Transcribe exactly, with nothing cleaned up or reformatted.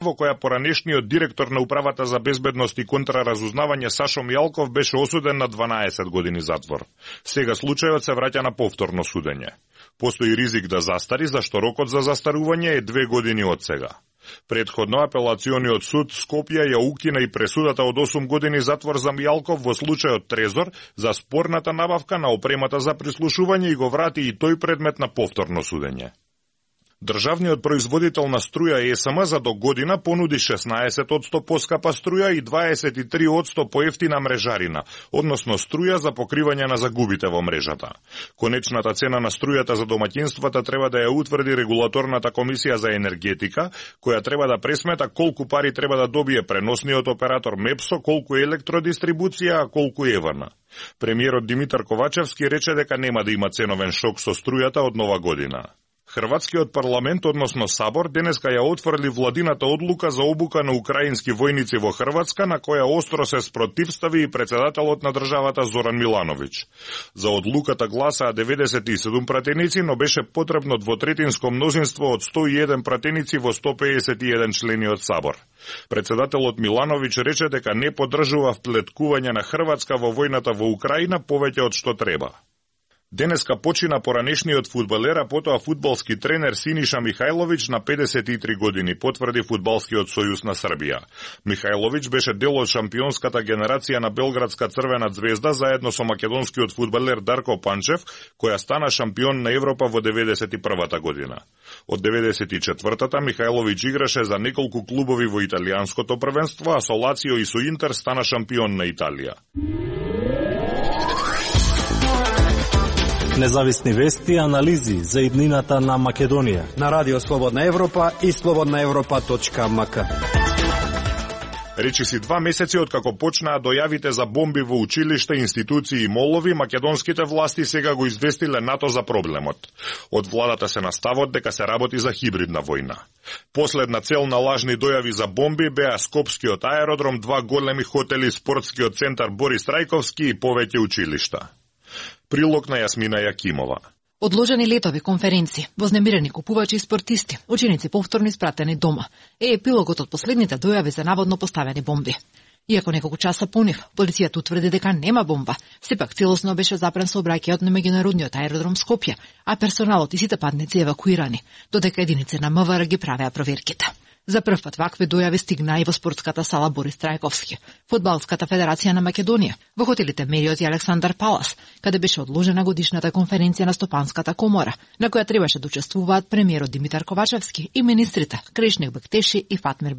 во која поранешниот директор на Управата за безбедност и контраразузнавање Сашо Мијалков беше осуден на дванаесет години затвор. Сега случајот се враќа на повторно судење. Постои ризик да застари, зашто рокот за застарување е две години од сега. Предходно апелациониот суд Скопје ја укина и пресудата од осум години затвор за Мијалков во случајот Трезор за спорната набавка на опремата за прислушување и го врати и тој предмет на повторно судење. Државниот производител на струја Е С М за до година понуди шеснаесет одсто поскапа струја и дваесет и три одсто поевтина мрежарина, односно струја за покривање на загубите во мрежата. Конечната цена на струјата за домаќинствата треба да ја утврди регулаторната комисија за енергетика, која треба да пресмета колку пари треба да добие преносниот оператор Мепсо, колку електродистрибуција, а колку Е В Н. Премиерот Димитар Ковачевски рече дека нема да има ценовен шок со струјата од нова година. Хрватскиот парламент, односно Сабор, денеска ја отфрли владината одлука за обука на украински војници во Хрватска, на која остро се спротивстави и председателот на државата Зоран Милановиќ. За одлуката гласаа деветдесет и седум пратеници, но беше потребно двотретинско мнозинство од сто и еден пратеници во сто педесет и еден члени од Сабор. Председателот Милановиќ рече дека не поддржува вплеткување на Хрватска во војната во Украина повеќе од што треба. Денеска почина поранешниот фудбалер, а потоа фудбалски тренер Синиша Михајловиќ на педесет и три години, потврди Фудбалскиот сојуз на Србија. Михајловиќ беше дел од шампионската генерација на Белградска Црвена звезда заедно со македонскиот фудбалер Дарко Панчев, која стана шампион на Европа во деветдесет и првата година. Од деветдесет и четвртата Михајловиќ играше за неколку клубови во италијанското првенство, а со Лацио и со Интер стана шампион на Италија. Независни вести и анализи за иднината на Македонија на Радио Слободна Европа и слободна европа точка ем ка. Речиси два месеци откако почнаа дојавите за бомби во училишта, институции и молови, македонските власти сега го известиле НАТО за проблемот. Од владата се на ставот дека се работи за хибридна војна. Последна цел на лажни дојави за бомби беа Скопскиот аеродром, два големи хотели, спортскиот центар Борис Трајковски и повеќе училишта. Прилог на Јасмина Јакимова. Одложени летови, конференции, вознемирени купувачи и спортисти, ученици повторно испратени дома, е епилогот од последните дојави за наводно поставени бомби. Иако неколку часа по нив, полицијата утврди дека нема бомба, сепак целосно беше запрен сообраќајот на меѓународниот аеродром Скопје, а персоналот и сите патници евакуирани, додека единици на М В Р ги правеа проверките. За прв пат вакви дојави стигнаа и во спортската сала Борис Трајковски, Фудбалската федерација на Македонија, во хотелите Мериот и Александар Палас, каде беше одложена годишната конференција на Стопанската комора, на која требаше да учествуваат премиерот Димитар Ковачевски и министрите Кришник Бектеши и Фатмир